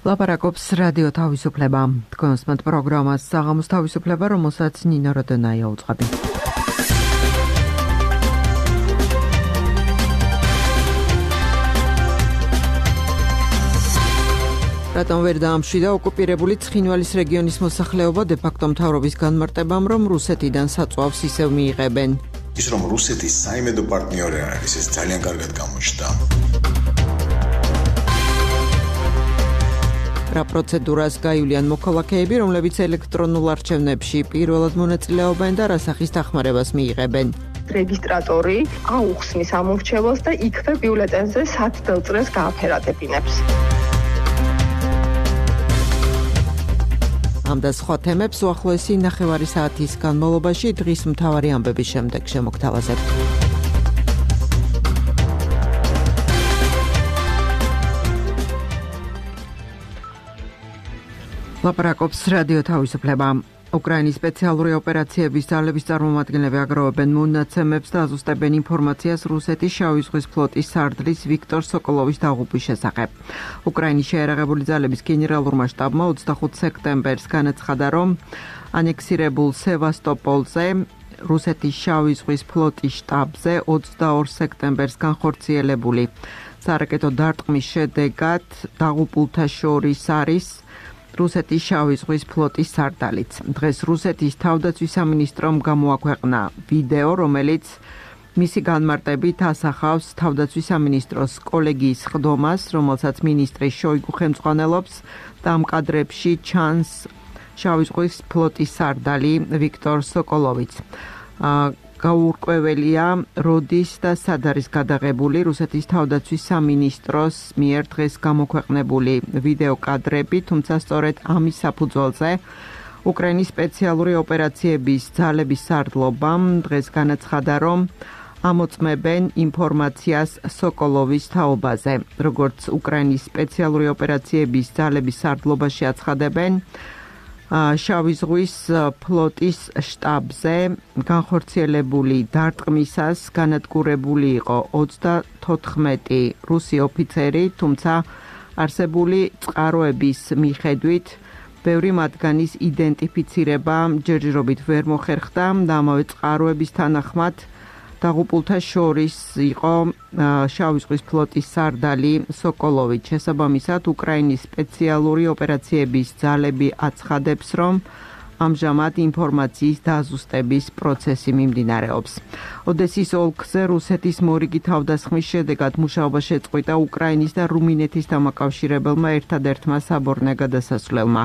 ლაპარაკობს რადიო თავისუფლება. თქვენსმენთ პროგრამას საღამოს თავისუფლება, რომელსაც ნინო როდონაია უძღვები. რატომ ვერ დაამშვიდა ოკუპირებული ცხინვალის რეგიონის მოსახლეობა დე-ფაქტო მთავრობის განმარტებამ, რომ რუსეთიდან საწვავს ისევ მიიღებენ. ის რომ რუსეთის საიმედო პარტნიორი არის, ეს ძალიან კარგად გამოჩნდა. რა პროცედურას გაივლიან მოქალაქეები, რომლებიც ელექტრონულ არჩევნებში პირველად მონაწილეობენ და რა სახის დახმარებას მიიღებენ. რეგისტრატორი აუხსნის ამორჩევას და იქვე ბიულეტენზე სათბელ წრეს გააფერადებინებს. ამ და სხვა თემებს უახლოესი ნახევარი საათის განმავლობაში დღის მთავარი ამბების შემდეგ შემოგთავაზებთ. ლაპარაკობს რადიო თავისუფლება. უკრაინის სპეციალური ოპერაციების ძალების წარმომადგენლები აგროვებენ მონაცემებს და აზუსტებენ ინფორმაციას რუსეთის შავი ზღვის ფლოტის სარდლის ვიქტორ სოკოლოვის დაღუპვის შესახებ. უკრაინის შეიარაღებული ძალების გენერალურმა შტაბმა 25 სექტემბერს განაცხადა, რომ ანექსირებულ სევასტოპოლზე რუსეთის შავი ზღვის ფლოტის შტაბზე 22 სექტემბერს განხორციელებული სარაკეტო დარტყმის შედეგად დაღუპულთა შორის არის რუსეთის შავი ზღვის ფლოტის სარდალიც. დღეს რუსეთის თავდაცვის სამინისტრომ გამოაქვეყნა ვიდეო, რომელიც მისი განმარტებით ასახავს თავდაცვის სამინისტროს კოლეგიის ხდომას, რომელსაც მინისტრი შოიგუ ხელმძღვანელობს და ამ კადრებში ჩანს შავი ზღვის ფლოტის სარდალი ვიქტორ სოკოლოვიც. გაურკვეველია, როდის და სად არის გადაღებული რუსეთის თავდაცვის სამინისტროს მიერ დღეს გამოქვეყნებული ვიდეო კადრები, თუმცა სწორედ ამის საფუძველზე უკრაინის სპეციალური ოპერაციების ძალების სარდლობამ დღეს განაცხადა, რომ ამოწმებენ ინფორმაციას სოკოლოვის თაობაზე. როგორც უკრაინის სპეციალური ოპერაციების ძალების სარდლობაში აცხადებენ, შავი ზღვის ფლოტის შტაბზე განხორციელებული დარტყმისას განადგურებული იყო 34 რუსი ოფიცერი, თუმცა არსებული წყაროების მიხედვით ბევრი მათგანის იდენტიფიცირება ჯერჯერობით ვერ მოხერხდა და ამავე წყაროების თანახმად დაღუპულთა შორის იყო შავი ზღვის ფლოტის სარდალი სოკოლოვი. შესაბამისად, უკრაინის სპეციალური ოპერაციების ძალები აცხადებს, რომ ამჟამად ინფორმაციის დაზუსტების პროცესი მიმდინარეობს. ოდესის ოლქზე რუსეთის მორიგი თავდასხმის შედეგად მუშაობა შეწყვიტა უკრაინის და რუმინეთის დამაკავშირებელმა ერთადერთმა საბორნე გადასასვლელმა.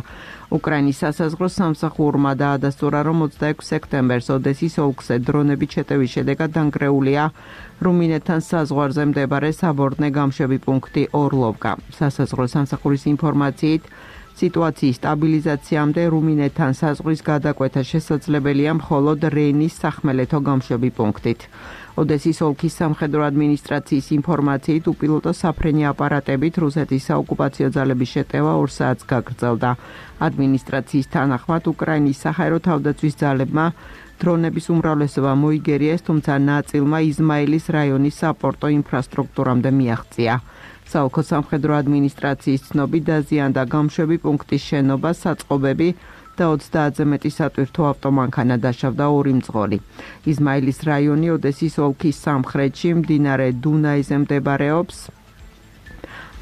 უკრაინის სასაზღვრო სამსახურმა დაადასტურა, რომ 26 სექტემბერს ოდესის ოლქზე დრონებით შეტევის შედეგად დანგრეულია რუმინეთთან საზღვარზე მდებარე საბორნე გამშვები პუნქტი ორლოვკა. სასაზღვრო სამსახურის ინფორმაციით, სიტუაციის სტაბილიზაციამდე რუმინეთთან საზღვრის გადაკვეთა შესაძლებელია მხოლოდ რენის სახმელეთო გამშვები პუნქტით. ოდესის ოლქის სამხედრო ადმინისტრაციის ინფორმაციით, უპილოტო საფრენი აპარატებით რუსეთის საოკუპაციო ძალების შეტევა 2 საათს გაგრძელდა. ადმინისტრაციის თანახმად, უკრაინის საჰაერო თავდაცვის ძალებმა დრონების უმრავლესობა მოიგერიეს, თუმცა ნაწილმა იზმაილის რაიონის საპორტო ინფრასტრუქტურამდე მიაღწია. საოლქო სამხედრო ადმინისტრაციის ცნობით დაზიანდა გამშვები პუნქტის შენობა, საწყობები და 30-ზე მეტი სატვირთო ავტომანქანა დასჯავდა 2 მძღოლი. იზმაილის რაიონი ოდესის ოლქის სამხრეთში მდინარე დუნაიზე მდებარეობს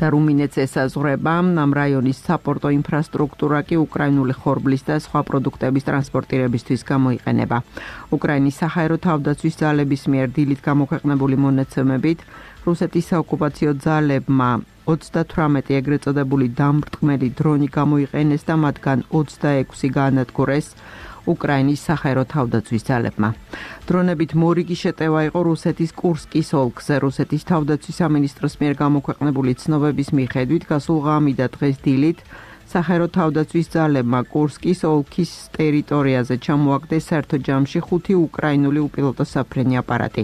და რუმინეთს ესაზღვრება. ამ რაიონის საპორტო ინფრასტრუქტურა კი უკრაინული ხორბლის და სხვა პროდუქტების ტრანსპორტირებისთვის გამოიყენება. უკრაინის საჰაერო თავდაცვის ძალების მიერ დილით გამოქვეყნებული მონაცემებით, რუსეთის საოკუპაციო ძალებმა 38 ეგრეთ წოდებული დამრტყმელი დრონი გამოიყენეს და მათგან 26 გაანადგურეს უკრაინის საჰაერო თავდაცვის ძალებმა. დრონებით მორიგი შეტევა იყო რუსეთის კურსკის ოლქზე. რუსეთის თავდაცვის სამინისტროს მიერ გამოქვეყნებული ცნობების მიხედვით, გასულ ღამით და დღეს დილით საჰაერო თავდაცვის ძალებმა კურსკის ოლქის ტერიტორიაზე ჩამოაგდეს საერთო ჯამში 5 უკრაინული უპილოტო საფრენი აპარატი.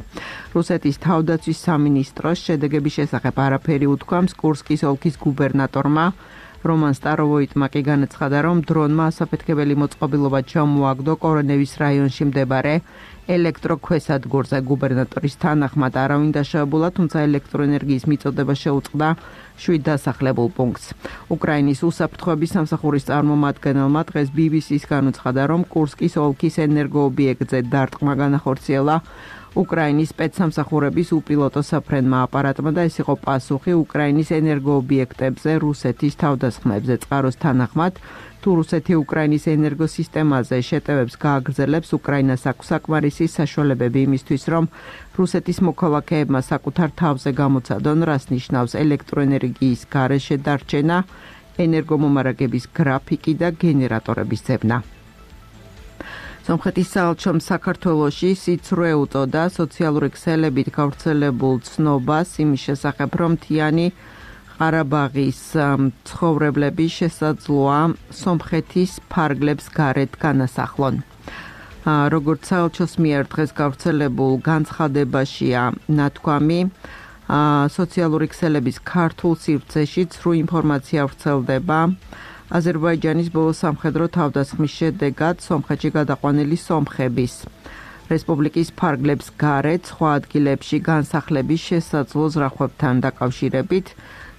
რუსეთის თავდაცვის სამინისტროს შედეგების შესახებ არაფერი უთქვამს. კურსკის ოლქის გუბერნატორმა რომან სტაროვოიტმა კი განაცხადა, რომ დრონმა ასაფეთქებელი მოწყობილობა ჩამოაგდო კორონევის რაიონში მდებარე ელექტროქვესადგურზე გუბერნატორის თანახმად არავინ დაშავებულა, თუმცა ელექტროენერგიის მიწოდება შეუწყდა 7 დასახლებულ პუნქტს. უკრაინის უსაფრთხოების სამსახურის წარმომადგენელმა დღეს BBC-ს განუცხადა, რომ კურსკის ოლქის ენერგოობიექტზე დარტყმა განახორციელა უკრაინის სპეცსამსახურების უპილოტო საფრენმა აპარატმა და ეს იყო პასუხი უკრაინის ენერგოობიექტებზე რუსეთის თავდასხმებზე. წყაროს თანახმად, თუ რუსეთი უკრაინის ენერგოსისტემაზე შეტევებს გააგრძელებს, უკრაინას აქვს საკმარისი საშუალებები იმისთვის, რომ რუსეთის მოქალაქეებმა საკუთარ თავზე გამოცადონ, რას ნიშნავს ელექტროენერგიის გარეშე დარჩენა, ენერგომომარაგების გრაფიკი და გენერატორების ძებნა. სომხეთის საელჩომ საქართველოში სიცრუე უწოდა სოციალური ქსელებით გავრცელებულ ცნობას იმის შესახებ, რომ მთიანი ყარაბაღის ცხოვრებლები შესაძლოა სომხეთის ფარგლებს გარეთ განასახლონ. როგორც საელჩოს მიერ დღეს გავრცელებულ განცხადებაშია ნათქვამი, სოციალური ქსელების ქართულ სივრცეში ცრუ ინფორმაცია ვრცელდება აზერბაიჯანის ბოლო სამხედრო თავდასხმის შედეგად სომხეთში გადაყვანილი სომხების რესპუბლიკის ფარგლებს გარეთ სხვა ადგილებში განსახლების შესაძლო ზრახვებთან დაკავშირებით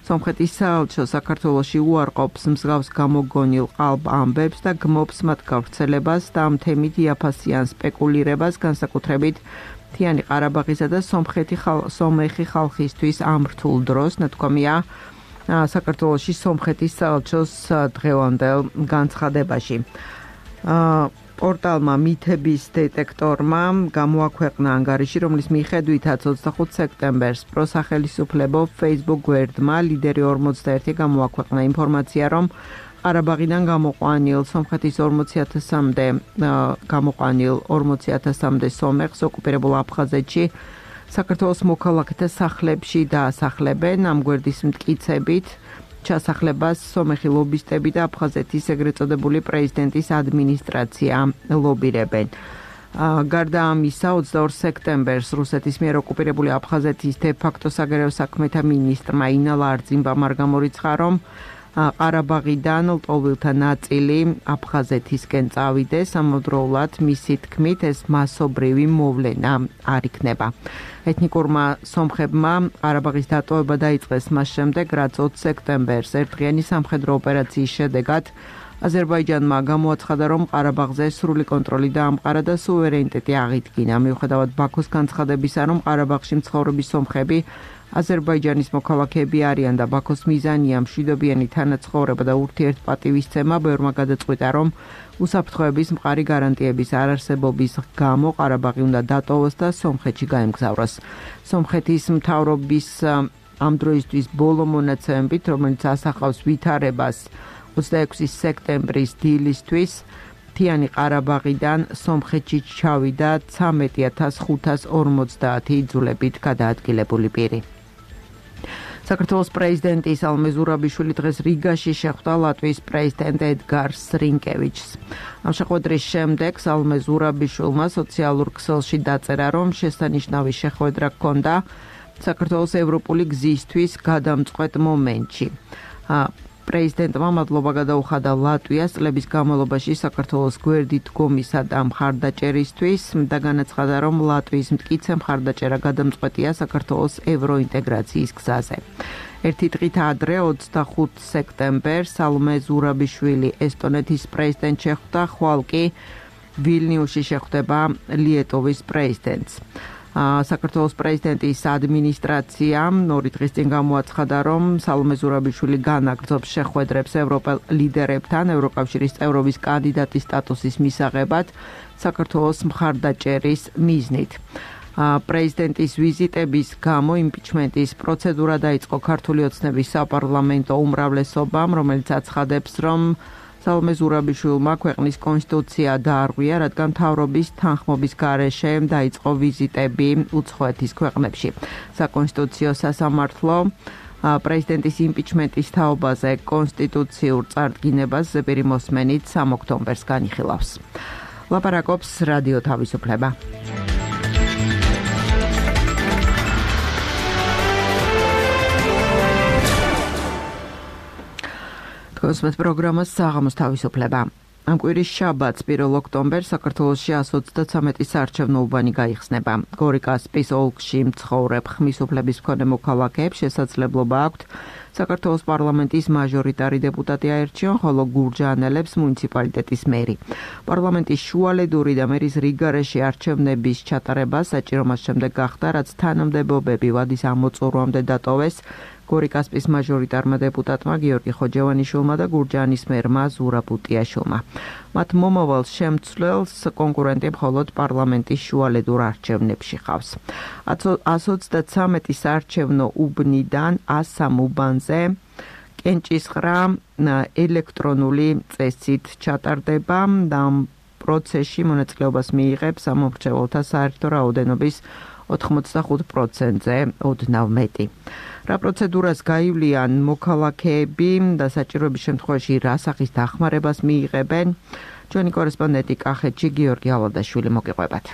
სომხეთის საელჩო საქართველოში უარყოფს მსგავს გამოგონილ ყალბ ამბებს და გმობს მათ გავრცელებას და ამ თემით იაფასიან სპეკულირებას, განსაკუთრებით მთიანი ყარაბაღისა და სომეხი ხალხისთვის ამ რთულ დროს, ნათქვამია საქართველოში სომხეთის საელჩოს დღევანდელ განცხადებაში. პორტალმა მითების დეტექტორმა გამოაქვეყნა ანგარიში, რომლის მიხედვითაც 25 სექტემბერს პროსახელისუფლებო Facebook გვერდმა ლიდერი 41 გამოაქვეყნა ინფორმაცია, რომ ყარაბაღიდან გამოყვანილ სომხეთის 40,000-მდე სომეხს ოკუპირებულ აფხაზეთში საქართველოს მოქალაქეთა სახლებში დაასახლებენ. ამ გვერდის მტკიცებით ჩასახლებას სომეხი ლობისტები და აფხაზეთის ეგრეთ წოდებული პრეზიდენტის ადმინისტრაცია ლობირებენ. გარდა ამისა, 22 სექტემბერს რუსეთის მიერ ოკუპირებული აფხაზეთის დე-ფაქტო საგარეო საქმეთა მინისტრმა ინა ლარძიმბამ არ გამორიცხა, რომ ყარაბაღიდან ლტოლვილთა ნაწილი აფხაზეთისკენ წავიდეს, ამავდროულად მისი თქმით ეს მასობრივი მოვლენა არ იქნება. ეთნიკურმა სომხებმა ყარაბაღის დატოვება დაიწყეს მას შემდეგ, რაც 20 სექტემბერს ერთდღიანი სამხედრო ოპერაციის შედეგად აზერბაიჯანმა გამოაცხადა, რომ ყარაბაღზე სრული კონტროლი დაამყარა და სუვერენიტეტი აღიდგინა. მიუხედავად ბაქოს განცხადებისა, რომ ყარაბაღში მცხოვრები სომხები აზერბაიჯანის მოქალაქეები არიან და ბაქოს მიზანია მშვიდობიანი თანაცხოვრება და ურთიერთპატივისცემა, ბევრმა გადაწყვიტა, რომ უსაფრთხოების მყარი გარანტიების არარსებობის გამო ყარაბაღი უნდა დატოვოს და სომხეთში გაემგზავროს. სომხეთის მთავრობის ამ დროისთვის ბოლო მონაცემებით, რომელიც ასახავს ვითარებას 26 სექტემბრის დილისთვის, მთიანი ყარაბაღიდან სომხეთში ჩავიდა 13,550 იძულებით გადაადგილებული პირი. საქართველოს პრეზიდენტი სალომე ზურაბიშვილი დღეს რიგაში შეხვდა ლატვიის პრეზიდენტ ედგარ რინკევიჩს. ამ შეხვედრის შემდეგ სალომე ზურაბიშვილმა სოციალურ ქსელში დაწერა, რომ შესანიშნავი შეხვედრა ჰქონდა საქართველოს ევროპული გზისთვის გადამწყვეტ მომენტში. პრეზიდენტმა მადლობა გადაუხადა ლატვიას წლების განმავლობაში საქართველოს გვერდით დგომისა და მხარდაჭერისთვის და განაცხადა, რომ ლატვიის მტკიცე მხარდაჭერა გადამწყვეტია საქართველოს ევროინტეგრაციის გზაზე. ერთი დღით ადრე 25 სექტემბერს სალომე ზურაბიშვილი ესტონეთის პრეზიდენტს შეხვდა, ხვალ კი ვილნიუსში შეხვდება ლიეტოვის პრეზიდენტს. საქართველოს პრეზიდენტის ადმინისტრაციამ 2 დღის წინ გამოაცხადა, რომ სალომე ზურაბიშვილი განაგრძობს შეხვედრებს ევროპელ ლიდერებთან ევროკავშირის წევრობის კანდიდატის სტატუსის მისაღებად საქართველოს მხარდაჭერის მიზნით. პრეზიდენტის ვიზიტების გამო იმპიჩმენტის პროცედურა დაიწყო ქართული ოცნების საპარლამენტო უმრავლესობამ, რომელიც აცხადებს, რომ სალომე ზურაბიშვილმა ქვეყნის კონსტიტუცია დაარღვია, რადგან მთავრობის თანხმობის გარეშე დაიწყო ვიზიტები უცხოეთის ქვეყნებში. საკონსტიტუციო სასამართლო პრეზიდენტის იმპიჩმენტის თაობაზე კონსტიტუციურ წარდგინებას ზეპირი მოსმენით 3 ოქტომბერს განიხილავს. ლაპარაკობს რადიო თავისუფლება. კონსმეთ პროგრამას საღამოს თავისუფლება. ამ კვირის შაბათს 1 ოქტომბერს საქართველოში 133 საარჩევნო უბანი გაიხსნება. გორიკასპის ოლქში მცხოვრებ ხმის უფლების მქონე მოქალაქეებს შესაძლებლობა აქვთ საქართველოს პარლამენტის მაჟორიტარი დეპუტატი აერჩიონ, ხოლო გურჯაანელებს მუნიციპალიტეტის მერი. პარლამენტის შუალედური და მერის რიგგარეშე არჩევნების ჩატარება საჭირო მას შემდეგ გახდა, რაც თანამდებობები ვადის ამოწურვამდე დატოვეს გორიკასპის მაჟორიტარმა დეპუტატმა გიორგი ხოჯევანიშვილმა და გურჯაანის მერმა ზურაბ უტიაშვილმა. მათ მომავალ შემცვლელს კონკურენტი მხოლოდ პარლამენტის შუალედურ არჩევნებში ხავს. 133 საარჩევნო უბნიდან 103 უბანზე კენჭისყრა ელექტრონული წესით ჩატარდება და პროცესში მონაწილეობას მიიღებს სამომრჩეველთა საერთო რაოდენობის 85%-ზე ოდნავ მეტი. რა პროცედურას გაივლიან მოქალაქეები და საჭიროების შემთხვევაში რა სახის დახმარებას მიიღებენ? ჩვენი კორესპონდენტი კახეთში გიორგი ალადაშვილი მოგიყვებათ.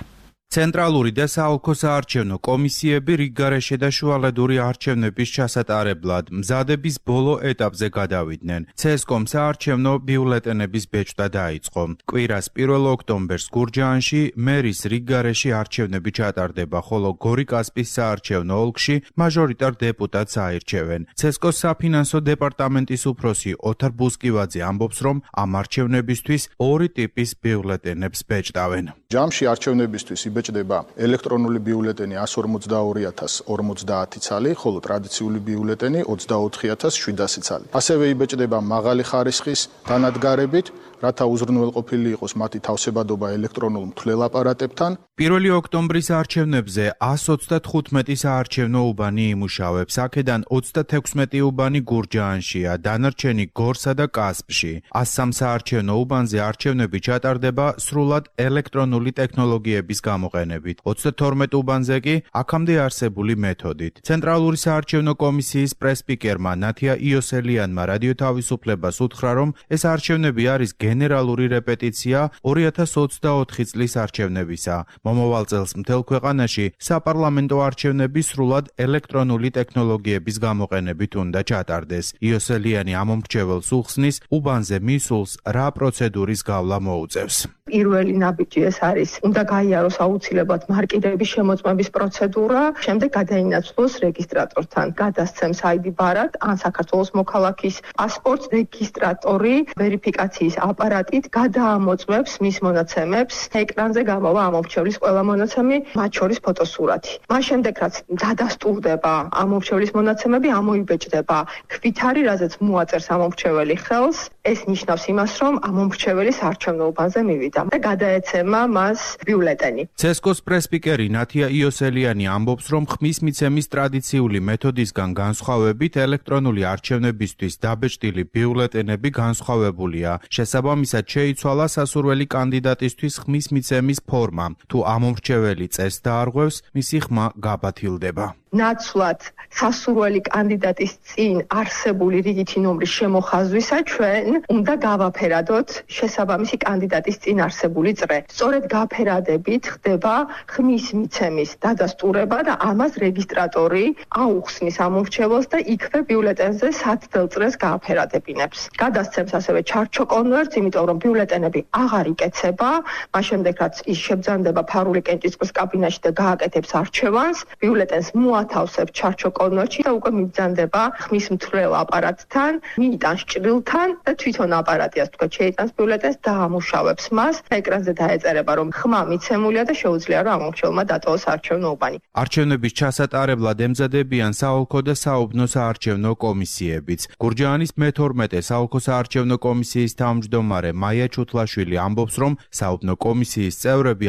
ცენტრალური და საოლქო საარჩევნო კომისიები რიგგარეშე და შუალედური არჩევნების ჩასატარებლად მზადების ბოლო ეტაპზე გადავიდნენ. CSCOM საარჩევნო ბიულეტენების ბეჭდა დაიწყო. კვირას 1 ოქტომბერს გურჯაანში მერის რიგგარეშე არჩევნები ჩატარდება, ხოლო გორიკასპის საარჩევნო ოლქში მაჟორიტარ დეპუტატს აირჩევენ. CSCOM-ის საფინანსო დეპარტამენტის უფროსი ოთარ ბუსკივაძე ამბობს, რომ ამ არჩევნებისთვის ორი ტიპის ბიულეტენებს ბეჭდავენ. ჯამში არჩევნებისთვის იბეჭდება ელექტრონული ბიულეტენი 150,050 ცალი, ხოლო ტრადიციული ბიულეტენი 24,700 ცალი. ასევე იბეჭდება მაღალი ხარისხის დანადგარებით, რათა უზრუნველყოფილი იყოს მათი თავსებადობა ელექტრონულ მთლელ აპარატებთან. 1 ოქტომბრის არჩევნებზე 135 საარჩევნო უბანი იმუშავებს, აქედან 36 უბანი გურჯაანშია, დანარჩენი გორსა და კასპში. 103 საარჩევნო უბანზე არჩევნები ჩატარდება სრულად ელექტრონული ტექნოლოგიების გამოყენებით. 32 უბანზე კი აქამდე არსებული მეთოდით. ცენტრალური საარჩევნო კომისიის პრესპიკერმა ნათია იოსელიანმა რადიო თავისუფლებას უთხრა, რომ ეს არჩევნები არის გენერალური რეპეტიცია 2024 წლის არჩევნებისა. მომავალ წელს მთელ ქვეყანაში საპარლამენტო არჩევნები სრულად ელექტრონული ტექნოლოგიების გამოყენებით უნდა ჩატარდეს. იოსელიანი ამომრჩეველს უხსნის, უბანზე მისულს რა პროცედურის გავლა მოუწევს. პირველი ნაბიჯი ეს არის, უნდა გაიაროს აუცილებლად მარკირების შემოწმების პროცედურა, შემდეგ გადაინაცვლოს რეგისტრატორთან, გადასცემს ID ბარად ან საქართველოს მოქალაქის პასპორტს, რეგისტრატორი ვერიფიკაციის აპარატით გადაამოწმებს მის მონაცემებს, ეკრანზე გამოვა ამომრჩევლის ყველა მონაცემი, მათ შორის ფოტოსურათი. მას შემდეგ რაც დადასტურდება ამომრჩევლის მონაცემები, ამოიბეჭდება ქვითარი, რაზეც მოაწერს ამომრჩეველი ხელს, ეს ნიშნავს იმას, რომ ამომრჩეველი საარჩევნო უბანზე მივიდა და გადაეცემა მას ბიულეტენი. CSCOM-ის პრესპიკერი ნათია იოსელიანი ამბობს, რომ ხმის მიცემის ტრადიციული მეთოდისგან განსხვავებით ელექტრონული არჩევნებისთვის დაბეჭდილი ბიულეტენები განსხვავებულია. შესაბამისად შეიცვალა სასურველი კანდიდატისთვის ხმის მიცემის ფორმა. თუ ამომრჩეველი წესს დაარღვევს, მისი ხმა გაბათილდება. ნაცვლად სასურველი კანდიდატის წინ არსებული რიგითი ნომრის შემოხაზვისა ჩვენ უნდა გავაფერადოთ შესაბამისი კანდიდატის წინ არსებული წრე. სწორედ გაფერადებით ხდება ხმის მიცემის დადასტურება და ამას რეგისტრატორი აუხსნის ამომრჩეველს და იქვე ბიულეტენზე სათდელ წრეს გააფერადებინებს. გადასცემს ასევე ჩარჩო კონვერტს, იმიტომ რომ ბიულეტენები აღარ იკეცება, მას შემდეგ რაც ის შებძანდება ფარული კენჭისყრის კაბინაში და გააკეთებს არჩევანს, ბიულეტენს მოათავსებს ჩარჩო კონვერტში და უკვე მიბძანდება ხმის მთლელ აპარატთან, მიიტანს ჭრილთან და თვითონ აპარატი ასე თქვა შეიტანს ბიულეტენს და ამუშავებს მას. ეკრანზე დაეწერება, რომ ხმა მიცემულია და შეუძლია რომ ამომრჩეველმა დატოვოს არჩევნო უბანი. არჩევნების ჩასატარებლად ემზადებიან საოლქო და საუბნო საარჩევნო კომისიებიც. გურჯაანის მე-12 საოლქო საარჩევნო კომისიის თავმჯდომარე მაია ჩუთლაშვილი ამბობს, რომ საუბნო კომისიის წევრები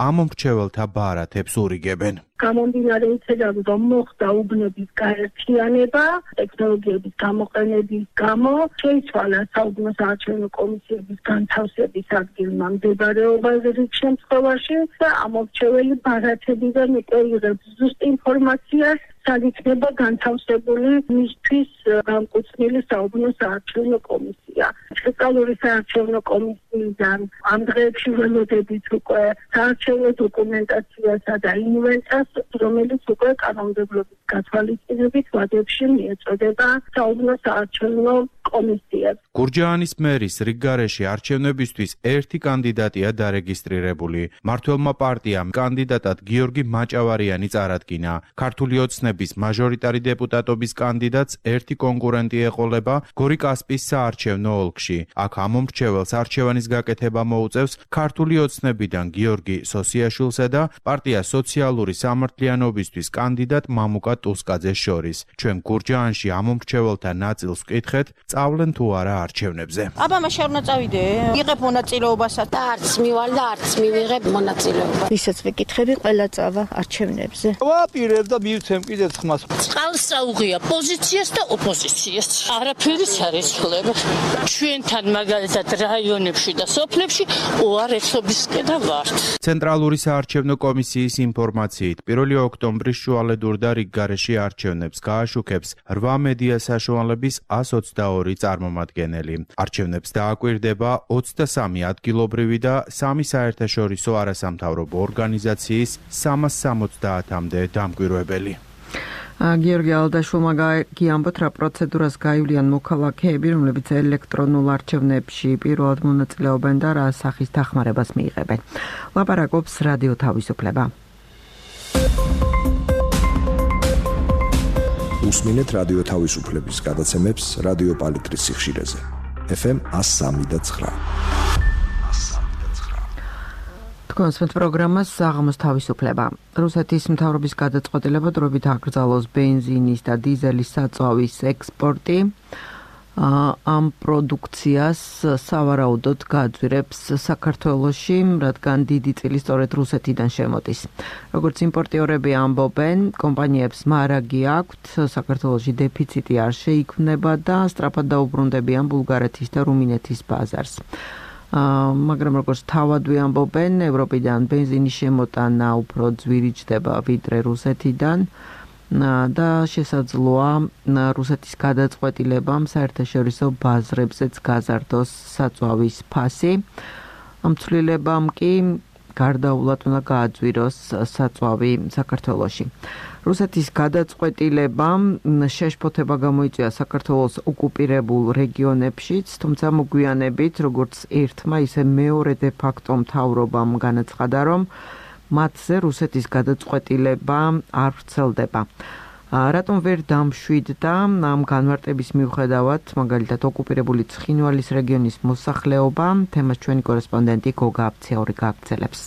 ამომრჩეველთა ბარათებს ურიგებენ. გამომდინარე იქედან, რომ მოხდა უბნების გაერთიანება, ტექნოლოგიების გამოყენების გამო, შეიცვალა საუბნო საარჩევნო კომისიების განთავსების ადგილმა მდებარეობაზე რიგ შემთხვევაში და ამომრჩეველი ბარათებიდან იღებს ზუსტ ინფორმაციას, სად იქნება განთავსებული მისთვის განკუთვნილი საუბნო საარჩევნო კომისია. სპეციალური საარჩევნო კომისიიდან ამ დღეებში ველოდებით უკვე საარჩევნო დოკუმენტაციასა და ინვენტარს, რომელიც უკვე კანონმდებლობის გათვალისწინებით ვადებში მიეწოდება საუბნო საარჩევნო კომისიას. გურჯაანის მერის რიგგარეში არჩევნებისთვის ერთი კანდიდატია დარეგისტრირებული. მმართველმა პარტიამ კანდიდატად გიორგი მაჭავარიანი წარადგინა. ქართული ოცნების მაჟორიტარი დეპუტატობის კანდიდატს ერთი კონკურენტი ეყოლება გორი-კასპიის საარჩევნო ოლქში. აქ ამომრჩეველს არჩევანის გაკეთება მოუწევს ქართული ოცნებიდან გიორგი სოსიაშვილსა და პარტია სოციალური სამართლიანობისთვის კანდიდატ მამუკა ტუსკაძეს შორის. ჩვენ გურჯაანში ამომრჩეველთა ნაწილს ვკითხეთ, წავლენ თუ არა არჩევნებზე. აბა შენ უნდა წავიდე, იღებ მონაწილეობასაც და არც მივალ და არც მივიღებ მონაწილეობა. ვისაც ვიკითხები, ყველა წავა არჩევნებზე. ვაპირებ და მივცემ კიდე ხმას. წყალს წაუღია პოზიციას და ოპოზიციას. არაფერი არ იცვლება. ჩვენთან მაგალითად რაიონებში და სოფლებში უარესობისკენ ვართ. ცენტრალური საარჩევნო კომისიის ინფორმაციით 1 ოქტომბრის შუალედურ და რიგგარეში არჩევნებს გააშუქებს 8 მედია საშუალების 122 წარმომადგენელი. არჩევნებს დააკვირდება 23 ადგილობრივი და 3 საერთაშორისო არასამთავრობო ორგანიზაციის 370-მდე დამკვირვებელი. გიორგი ალდაშვილმა გიამბოთ, რა პროცედურას გაივლიან მოქალაქეები, რომლებიც ელექტრონულ არჩევნებში პირველად მონაწილეობენ და რა სახის დახმარებას მიიღებენ. ლაპარაკობს რადიო თავისუფლება. უსმინეთ რადიო თავისუფლების გადაცემებს რადიო პალიტრის სიხშირეზე. FM 103.9. კონსვენთ პროგრამას საღამოს თავისუფლება. რუსეთის მთავრობის გადაწყვეტილება დროებით აკრძალოს ბენზინის და დიზელის საწვავის ექსპორტი. ამ პროდუქციას სავარაუდოდ გააძვირებს საქართველოში, რადგან დიდი წილი სწორედ რუსეთიდან შემოდის. როგორც იმპორტიორები ამბობენ, კომპანიებს მარაგი აქვთ, საქართველოში დეფიციტი არ შეიქმნება და სწრაფად დაუბრუნდებიან ბულგარეთის და რუმინეთის ბაზარს. მაგრამ როგორც თავადვე ამბობენ, ევროპიდან ბენზინის შემოტანა უფრო ძვირიჭდება ვიდრე რუსეთიდან და შესაძლოა რუსეთის გადაწყვეტილებამ საერთაშორისო ბაზრებზეც გაზარდოს საწვავის ფასი. ამ ცვლილებამ კი გარდაულად უნდა გააძვიროს საწვავი საქართველოში. რუსეთის გადაწყვეტილებამ შეშფოთება გამოიწვია საქართველოს ოკუპირებულ რეგიონებშიც, თუმცა მოგვიანებით, როგორც ერთმა, ისე მეორე დე-ფაქტო მთავრობამ განაცხადა, რომ მათზე რუსეთის გადაწყვეტილება არ ვრცელდება. რატომ ვერ დამშვიდდა ამ განმარტების მიუხედავად, მაგალითად ოკუპირებული ცხინვალის რეგიონის მოსახლეობა, თემას ჩვენი კორესპონდენტი გოგა აფციური გააგრძელებს.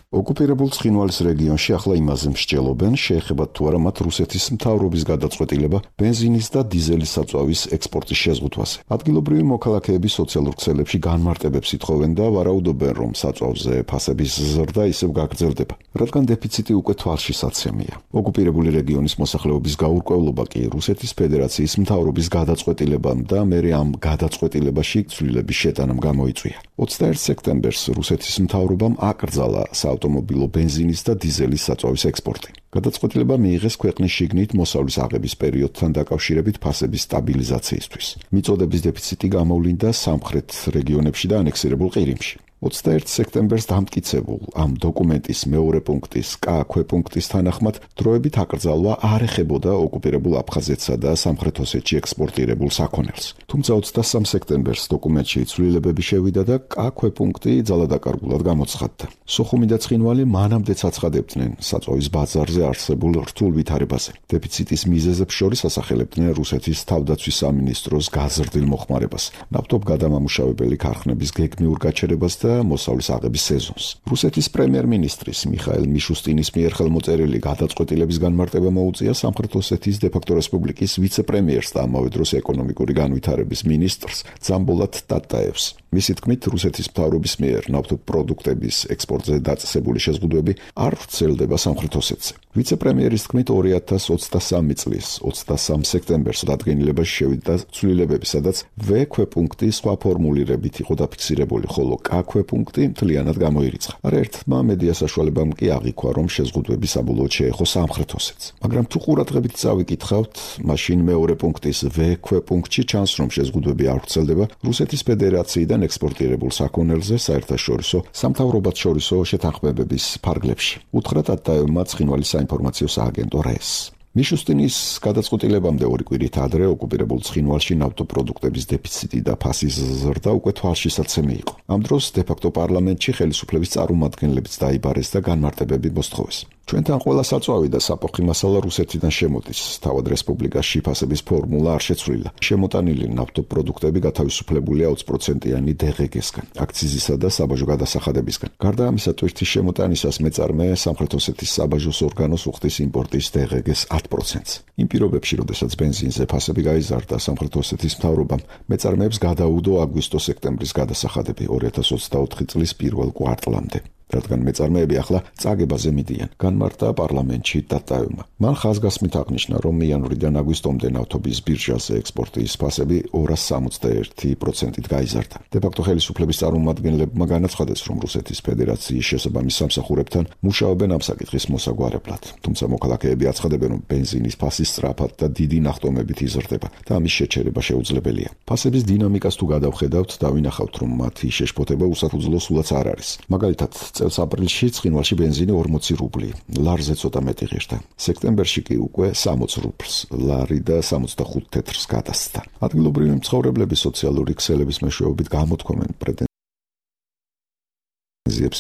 ოკუპირებულ ცხინვალის რეგიონში ახლა იმაზე მსჯელობენ, შეეხებათ თუ არა მათ რუსეთის მთავრობის გადაწყვეტილება ბენზინის და დიზელის საწვავის ექსპორტის შეზღუდვაზე. ადგილობრივი მოქალაქეები სოციალურ ქსელებში განმარტებებს ითხოვენ და ვარაუდობენ, რომ საწვავზე ფასების ზრდა ისევ გაგრძელდება, რადგან დეფიციტი უკვე თვალშისაცემია. ოკუპირებული რეგიონის მოსახლეობის გაურკვევლობა კი რუსეთის ფედერაციის მთავრობის გადაწყვეტილებამ და მერე ამ გადაწყვეტილებაში ცვლილების შეტანამ გამოიწვია. 21 სექტემბერს რუსეთის მთავრობამ აკრძალა საავტომობილო ბენზინის და დიზელის საწვავის ექსპორტი. გადაწყვეტილება მიიღეს ქვეყნის შიგნით მოსავლის აღების პერიოდთან დაკავშირებით ფასების სტაბილიზაციისთვის. მიწოდების დეფიციტი გამოვლინდა სამხრეთ რეგიონებში და ანექსირებულ ყირიმში. 21 სექტემბერს დამტკიცებულ ამ დოკუმენტის მეორე პუნქტის კ ქვეპუნქტის თანახმად დროებით აკრძალვა არ ეხებოდა ოკუპირებულ აფხაზეთსა და სამხრეთ ოსეთში ექსპორტირებულ საქონელს. თუმცა 23 სექტემბერს დოკუმენტში ცვლილებები შევიდა და კ ქვეპუნქტი ძალადაკარგულად გამოცხადდა. სოხუმი და ცხინვალი მანამდეც აცხადებდნენ საწვავის ბაზარზე არსებულ რთულ ვითარებაზე. დეფიციტის მიზეზებს შორის ასახელებდნენ რუსეთის თავდაცვის სამინისტროს გაზრდილ მოხმარებას, ნავთობ გადამამუშავებელი ქარხნების გეგმიურ გაჩერებას და მოსავლის აღების სეზონს. რუსეთის პრემიერ-მინისტრის მიხაილ მიშუსტინის მიერ ხელმოწერილი გადაწყვეტილების განმარტება მოუწია სამხრეთ ოსეთის დე-ფაქტო რესპუბლიკის ვიცე-პრემიერს და ამავე დროს ეკონომიკური განვითარების მინისტრს ძამბოლატ ტატაევს. მისი თქმით, რუსეთის მთავრობის მიერ ნავთობ პროდუქტების ექსპორტზე დაწესებული შეზღუდვები არ ვრცელდება სამხრეთ ოსეთზე. ვიცე-პრემიერის თქმით, 2023 წლის 23 სექტემბერს დადგენილებაში შევიდა ცვლილებები, სადაც ვ ქვეპუნქტი სხვა ფორმულირებით იყო დაფიქსირებული, ხოლო კ ქვეპუნქტი მთლიანად გამოირიცხა. არაერთმა მედია საშუალებამ კი აღიქვა, რომ შეზღუდვები საბოლოოდ შეეხო სამხრეთ ოსეთს. მაგრამ თუ ყურადღებით წავიკითხავთ, მაშინ მეორე პუნქტის V ქვეპუნქტში ჩანს, რომ შეზღუდვები არ ვრცელდება რუსეთის ფედერაციიდან ექსპორტირებულ საქონელზე საერთაშორისო სამთავრობათ შორისო შეთანხმებების ფარგლებში. უთხრა ტატაევმა ცხინვალის საინფორმაციო სააგენტო RAES. მიშუსტინის გადაწყვეტილებამდე 2 კვირით ადრე ოკუპირებულ ცხინვალში ნავთობპროდუქტების დეფიციტი და ფასის ზრდა უკვე თვალშისაცემი იყო. ამ დროს დე-ფაქტო პარლამენტში ხელისუფლების წარმომადგენლებიც დაიბარეს და განმარტებები მოსთხოვეს. ჩვენთან ყველა საწვავი და საფოხი მასალა რუსეთიდან შემოდის. თავად რესპუბლიკაში ფასების ფორმულა არ შეცვლილა. შემოტანილი ნავთობპროდუქტები გათავისუფლებულია 20%-იანი DGG-სგან, აქციზისა და საბაჟო გადასახადებისგან. გარდა ამისა, ტვირთის შემოტანისას მეწარმე სამხრეთ ოსეთის საბაჟოს ორგანოს უხდის იმპორტის DGG-ს 10%-ს. იმ პირობებში, როდესაც ბენზინზე ფასები გაიზარდა, სამხრეთ ოსეთის მთავრობამ მეწარმეებს გადაუდო აგვისტო-სექტემბრის გადასახადები 2024 წლის პირველ კვარტლამდე. რადგან მეწარმეები ახლა წაგებაზე მიდიან, განმარტა პარლამენტში ტატაევმა. მან ხაზგასმით აღნიშნა, რომ იანვრიდან აგვისტომდე ნავთობის ბირჟაზე ექსპორტის ფასები 261%-ით გაიზარდა. დე-ფაქტო ხელისუფლების წარმომადგენლებმა განაცხადეს, რომ რუსეთის ფედერაციის შესაბამის სამსახურებთან მუშაობენ ამ საკითხის მოსაგვარებლად. თუმცა მოქალაქეები აცხადებენ, რომ ბენზინის ფასი სწრაფად და დიდი ნახტომებით იზრდება და ამის შეჩერება შეუძლებელია. ფასების დინამიკას თუ გადავხედავთ, დავინახავთ, რომ მათი შეშფოთება უსაფუძვლო სულაც არ არის. მაგალითად, წელს აპრილში ცხინვალში ბენზინი 40 რუბლი, ლარზე ცოტა მეტი ღირდა. სექტემბერში კი უკვე 60 რუბლს, ლარი და 65 თეთრს გადასცა. ადგილობრივი მცხოვრებლები სოციალური ქსელების მეშვეობით გამოთქვამენ პრეტენზიებს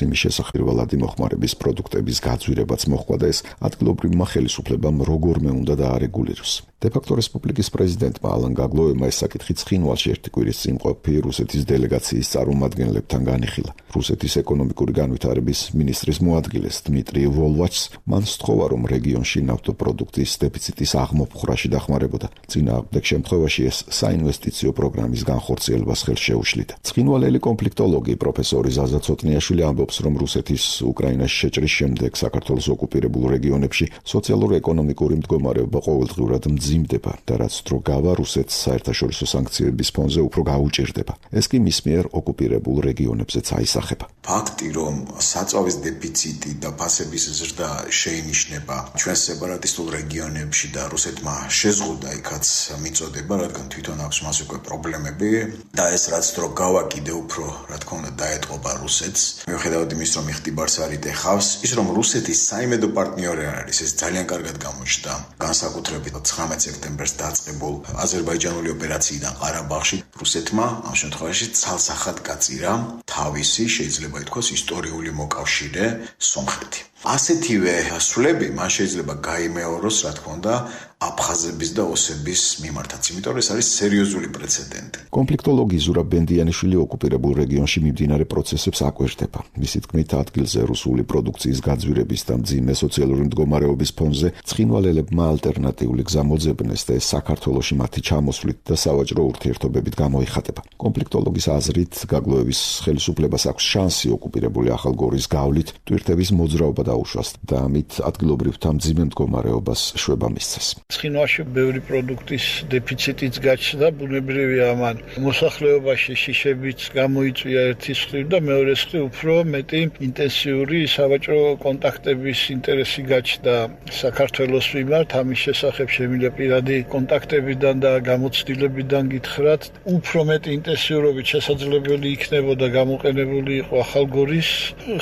იმის შესახებ, რომ მოხმარების პროდუქტების გაძვირებაც მოხდა და ეს ადგილობრივმა ხელისუფლებამ როგორმე უნდა დაარეგულიროს. დე-ფაქტო რესპუბლიკის პრეზიდენტმა ალან გაგლოევმა ეს საკითხი ცხინვალში 1 კვირის წინ ყოფი რუსეთის დელეგაციის წარმომადგენლებთან განიხილა. რუსეთის ეკონომიკური განვითარების მინისტრის მოადგილეს დმიტრი ვოლვაჩს მან სთხოვა, რომ რეგიონში ნავთობპროდუქტის დეფიციტის აღმოფხვრაში დახმარებოდა. წინააღმდეგ შემთხვევაში ეს საინვესტიციო პროგრამის განხორციელებას ხელს შეუშლიდა. ცხინვალელი კონფლიქტოლოგი პროფესორი ზაზა ცოტნიაშვილი ამბობს, რომ რუსეთის უკრაინაში შეჭრის შემდეგ საქართველოს ოკუპირებულ რეგიონებში სოციალურ-ეკონომიკური მდგომარეობა ყოველდღიურად მძიმდება და რაც დრო გავა რუსეთს საერთაშორისო სანქციების ფონზე უფრო გაუჭირდება. ეს კი მის მიერ ოკუპირებულ რეგიონებზეც აისახება. ფაქტი, რომ საწვავის დეფიციტი და ფასების ზრდა შეინიშნება ჩვენ სეპარატისტულ რეგიონებში და რუსეთმა შეზღუდა იქაც მიწოდება, რადგან თვითონ აქვს მას უკვე პრობლემები და ეს რაც დრო გავა კიდე უფრო, რა თქმა უნდა, დაეტყობა რუსეთს. მიუხედავად იმის, რომ იხტიბარს არ იტეხავს, ის რომ რუსეთის საიმედო პარტნიორი არ არის, ეს ძალიან კარგად გამოჩნდა. განსაკუთრებით 19 სექტემბერს დაწყებულ აზერბაიჯანული ოპერაციიდან ყარაბაღში რუსეთმა ამ შემთხვევაში ცალსახად გაწირა თავისი, შეიძლება ითქვას, ისტორიული მოკავშირე სომხეთი. ასეთივე ასვლები მან შეიძლება გაიმეოროს, რა თქმა უნდა, აფხაზების და ოსების მიმართაც, იმიტომ რომ ეს არის სერიოზული პრეცედენტი. კონფლიქტოლოგი ზურაბ ბენდიანიშვილი ოკუპირებულ რეგიონში მიმდინარე პროცესებს აკვირდება. მისი თქმით, ადგილზე რუსული პროდუქციის გაძვირების და მძიმე სოციალური მდგომარეობის ფონზე ცხინვალელებმა ალტერნატიული გზა მოძებნეს და ეს საქართველოში მათი ჩამოსვლით და სავაჭრო ურთიერთობებით გამოიხატება. კონფლიქტოლოგის აზრით, გაგლოევის ხელისუფლებას აქვს შანსი ოკუპირებული ახალგორის გავლით ტვირთების მოძრაობა დაუშვას და ამით ადგილობრივთა მძიმე მდგომარეობას შვება მისცეს. ცხინვალში ბევრი პროდუქტის დეფიციტიც გაჩნდა, ბუნებრივია ამან მოსახლეობაში შიშებიც გამოიწვია ერთის მხრივ და მეორეს მხრივ უფრო მეტი ინტენსიური სავაჭრო კონტაქტების ინტერესი გაჩნდა საქართველოს მიმართ. ამის შესახებ შემიძლია პირადი კონტაქტებიდან და გამოცდილებიდან გითხრათ, უფრო მეტი ინტენსიურობით შესაძლებელი იქნებოდა გამოყენებული იყო ახალგორის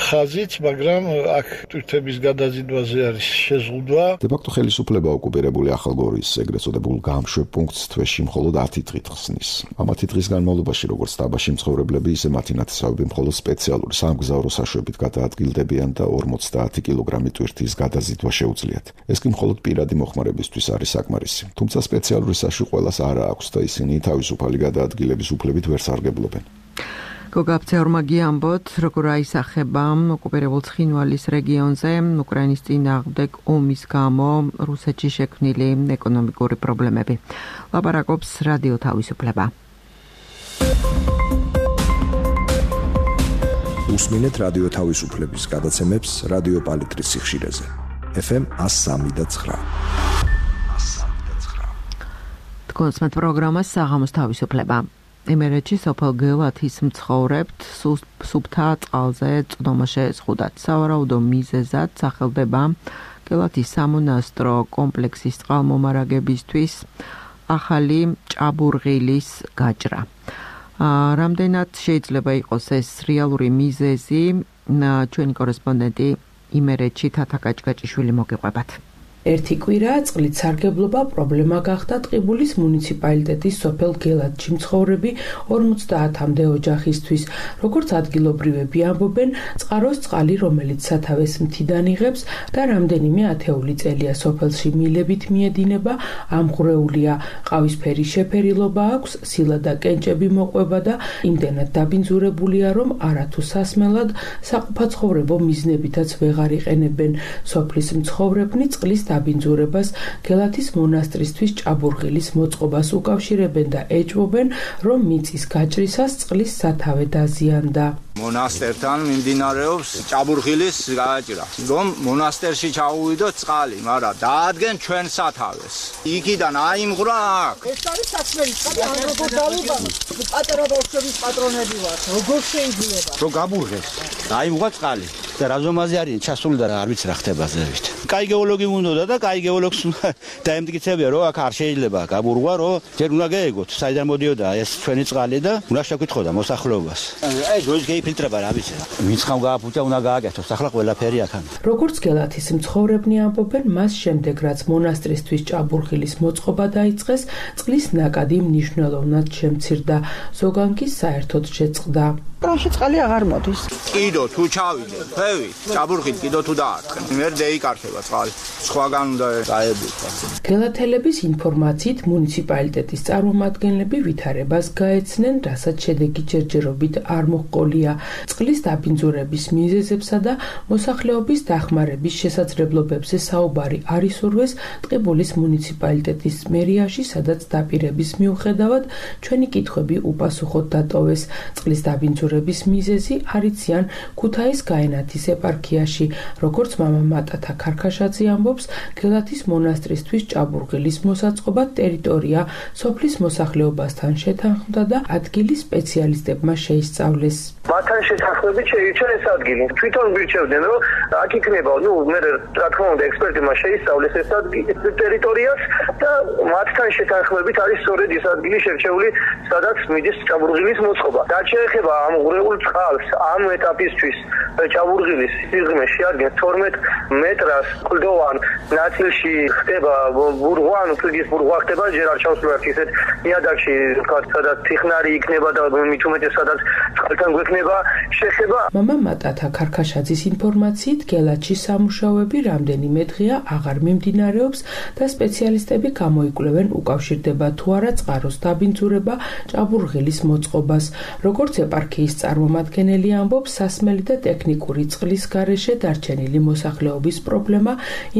ხაზიც, მაგრამ აქ ტვირთების გადაზიდვაზე არის შეზღუდვა. დე-ფაქტო ხელისუფლება ოკუპირებული ახალგორის ეგრეთ წოდებულ გამშვებ პუნქტს თვეში მხოლოდ 10 დღით ხსნის. ამ 10 დღის განმავლობაში როგორც დაბაში მცხოვრებლები, ისე მათი ნათესავები მხოლოდ სპეციალური სამგზავრო საშვებით გადაადგილდებიან და 50 კილოგრამი ტვირთის გადაზიდვა შეუძლიათ. ეს კი მხოლოდ პირადი მოხმარებისთვის არის საკმარისი. თუმცა სპეციალური საშვი ყველას არ აქვს და ისინი თავისუფალი გადაადგილების უფლებით ვერ სარგებლობენ. გოგაბცეორმა გიამბოთ, როგორ აისახება ოკუპირებულ ცხინვალის რეგიონზე უკრაინის წინააღმდეგ ომის გამო რუსეთში შექმნილი ეკონომიკური პრობლემები. ლაპარაკობს რადიო თავისუფლება. უსმინეთ რადიო თავისუფლების გადაცემებს რადიო პალიტრის სიხშირეზე. FM 103.9. თქვენს პროგრამას საღამოს თავისუფლება. იმერეთში სოფელ გელათის მცხოვრებთ სუფთა წყალზე წვდომა შეეზღუდათ. სავარაუდო მიზეზად სახელდება გელათის სამონასტრო კომპლექსის წყალმომარაგებისთვის ახალი ჭაბურღილის გაჭრა. რამდენად შეიძლება იყოს ეს რეალური მიზეზი, ჩვენი კორესპონდენტი იმერეთში თათა კაჭკაჭიშვილი მოგიყვებათ. ერთი კვირაა წყლით სარგებლობა პრობლემა გახდა ტყიბულის მუნიციპალიტეტის სოფელ გელათში მცხოვრები 50-მდე ოჯახისთვის. როგორც ადგილობრივები ამბობენ, წყაროს წყალი, რომელიც სათავეს მთიდან იღებს და რამდენიმე ათეული წელია სოფელში მილებით მიედინება, ამღვრეულია. ყავისფერი შეფერილობა აქვს, სილა და კენჭები მოყვება და იმდენად დაბინძურებულია, რომ არათუ სასმელად საყოფაცხოვრებო მიზნებითაც ვეღარ იყენებენ. სოფლის მცხოვრებნი წყლის დაბინძურებას გელათის მონასტრისთვის ჭაბურღილის მოწყობას უკავშირებენ და ეჭვობენ, რომ მიწის გაჭრისას წყლის სათავე დაზიანდა. მონასტერთან მიმდინარეობს ჭაბურღილის გაჭრა, რომ მონასტერში ჩაუვიდოთ წყალი, მაგრამ დაადგენ ჩვენ სათავეს. იქიდან აიმღვრა აქ. ეს არის საქმე, წყალი როგორ დავიბანოთ? პატარა ბავშვების პატრონები ვართ, როგორ შეიძლება? რო გაბურღეს, აიმღვრა წყალი. და რაზომაზე არის ჩასული და არ ვიცი რა ხდება ზევით. კაი გეოლოგი უნდა და კაი გეოლოგს დაემტკიცებია, რომ აქ არ შეიძლება გაბურღვა, რომ ჯერ უნდა გაეგოთ, საიდან მოდიოდა ეს ჩვენი წყალი და უნდა შევკითხოთ მოსახლეობას. აი დროის გეიფილტრება რა ვიცი. ვინც ხომ გააფუჭა, უნდა გააკეთოს, ახლა ყველაფერი აქ არის. როგორც გელათის მცხოვრებნი ამბობენ, მას შემდეგ რაც მონასტრისთვის ჭაბურღილის მოწყობა დაიწყეს, წყლის ნაკადი მნიშვნელოვნად შემცირდა, ზოგან კი საერთოდ შეწყდა. კრანში წყალი აღარ მოდის. კიდო თუ ჩავიდეთ, ფევი, ჭაბურღილი კიდო თუ დაარტყენ. მე დაიკარგება წყალი. სხვაგან უნდა დაებუქა. გელათელების ინფორმაციით მუნიციპალიტეტის წარმომადგენლები ვითარებას გაეცნენ, რასაც შედეგი ჯერჯერობით არ მოჰყოლია. წყლის დაბინძურების მიზეზებსა და მოსახლეობის დახმარების შესაძლებლობებზე საუბარი არ ისურვეს ტყიბულის მუნიციპალიტეტის მერიაში, სადაც დაპირების მიუხედავად ჩვენი კითხვები უპასუხოდ დატოვეს. წყლის დაბინძურების მიზეზი არიციან ქუთაის გაენათის ეპარქიაში, როგორც მამა მატათა ქარქაშაძე ამბობს, გელათის მონასტრისთვის ჭაბურღილის მოსაწყობა ტერიტორია სოფლის მოსახლეობასთან შეთანხმდა და ადგილის სპეციალისტებმა შეისწავლეს. მათთან შეთანხმებით შეირჩეს ადგილი. თვითონ გვირჩევდნენ, რომ აქ იქნება, მე რა თქმა უნდა ექსპერტებმა შეისწავლეს ეს ტერიტორიას და მათთან შეთანხმებით არის სწორედ ეს ადგილი შერჩეული, სადაც მიდის ჭაბურღილის მოწყობა. რაც შეეხება ამ ღრეულ წყალს, ამ ეტაპისთვის ჭაბურღილის სიღრმე შეადგენს 12 მეტრას კლდოვან ნაწილში ხდება ბურღვა, ფლიგის ბურღვა ხდება, ჯერ არ ჩავსვლათ ისეთ ნიადაგში, სადაც თიხნარი იქნება და მით უმეტეს სადაც წყალთან გვექნება შეხება. მამა მატათა ქარქაშაძის ინფორმაციით გელათში სამუშაოები რამდენიმე დღეა აღარ მიმდინარეობს და სპეციალისტები გამოიკვლევენ უკავშირდება თუ არა წყაროს დაბინძურება ჭაბურღილის მოწყობას. როგორც ეპარქიის წარმომადგენელი ამბობს, სასმელი და ტექნიკური წყლის გარეშე დარჩენილი მოსახლეობის პრობლემა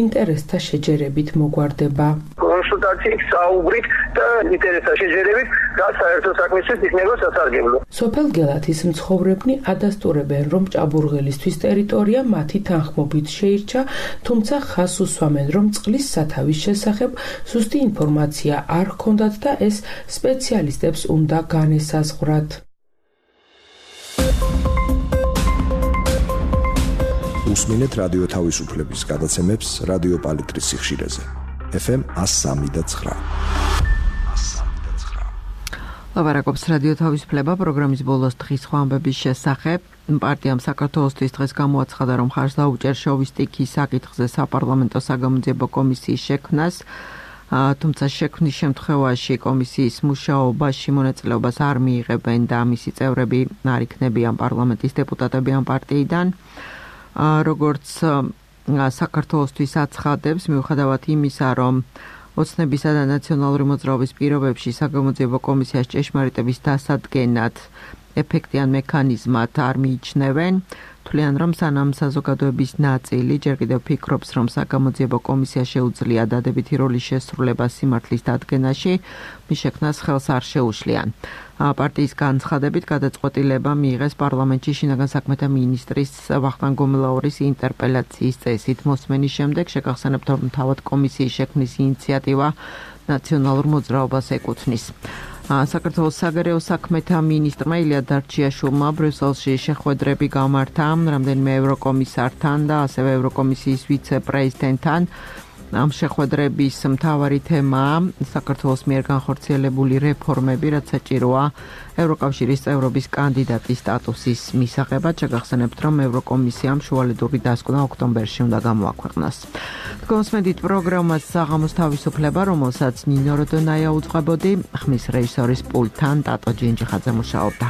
ინტერესთა შეჯერებით მოგვარდება. კონსულტაციით საუბრით და ინტერესთა შეჯერებით და საერთო საქმისთვის იქნება სასარგებლო. სოფელ გელათის მცხოვრებნი ადასტურებენ, რომ ჭაბურღილისთვის ტერიტორია მათი თანხმობით შეირჩა, თუმცა ხაზს უსვამენ, რომ წყლის სათავის შესახებ ზუსტი ინფორმაცია არ ჰქონდათ და ეს სპეციალისტებს უნდა განესაზღვრათ. უსმინეთ რადიო თავისუფლების გადაცემებს რადიო პალიტრის სიხშირეზე. FM 103.9. ლაპარაკობს რადიო თავისუფლება პროგრამის ბოლოს დღის ხვამბების შესახებ. პარტიამ საქართველოსთვის დღეს გამოაცხადა, რომ ხარს დაუჭერ შოვისტიკის საკითხზე საპარლამენტო საგამოძიებო კომისიის შექმნას. თუმცა შექმნის შემთხვევაში კომისიის მუშაობაში მონაწილეობას არ მიიღებენ და მისი წევრები არ იქნებიან პარლამენტის დეპუტატები ამ პარტიიდან. როგორც საქართველოსთვის აცხადებს, მიუხედავად იმისა, რომ ოცნებისა და ნაციონალური მოძრაობის პირობებში საგამოძიებო კომისიას ჭეშმარიტების დასადგენად ეფექტიან მექანიზმად არ მიიჩნევენ, თვლიან, რომ სანამ საზოგადოების ნაწილი ჯერ კიდევ ფიქრობს, რომ საგამოძიებო კომისია შეუძლია დადებითი როლის შესრულება სიმართლის დადგენაში, მის შექმნას ხელს არ შეუშლიან. პარტიის განცხადებით გადაწყვეტილება მიიღეს პარლამენტში შინაგან საქმეთა მინისტრის ვახტანგ გომელაურის ინტერპელაციის წესით. მოსმენის შემდეგ შეგახსენებთ, რომ თავად კომისიის შექმნის ინიციატივა ნაციონალურ მოძრაობას ეკუთვნის. საქართველოს საგარეო საქმეთა მინისტრმა ილია დარჩიაშვილმა ბრიუსელში შეხვედრები გამართა რამდენიმე ევროკომისართან და ასევე ევროკომისიის ვიცე-პრეზიდენტთან. ამ შეხვედრების მთავარი თემაა საქართველოს მიერ განხორციელებული რეფორმები, რაც საჭიროა ევროკავშირის წევრობის კანდიდატის სტატუსის მისაღებად. შეგახსენებთ, რომ ევროკომისიამ შუალედური დასკვნა ოქტომბერში უნდა გამოაქვეყნოს. თქვენსმენდით პროგრამას საღამოს თავისუფლება, რომელსაც ნინო როდონაია უძღვებოდი, ხმის რეჟისორის პულტთან ტატო ჯინჯიხაძე მუშაობდა.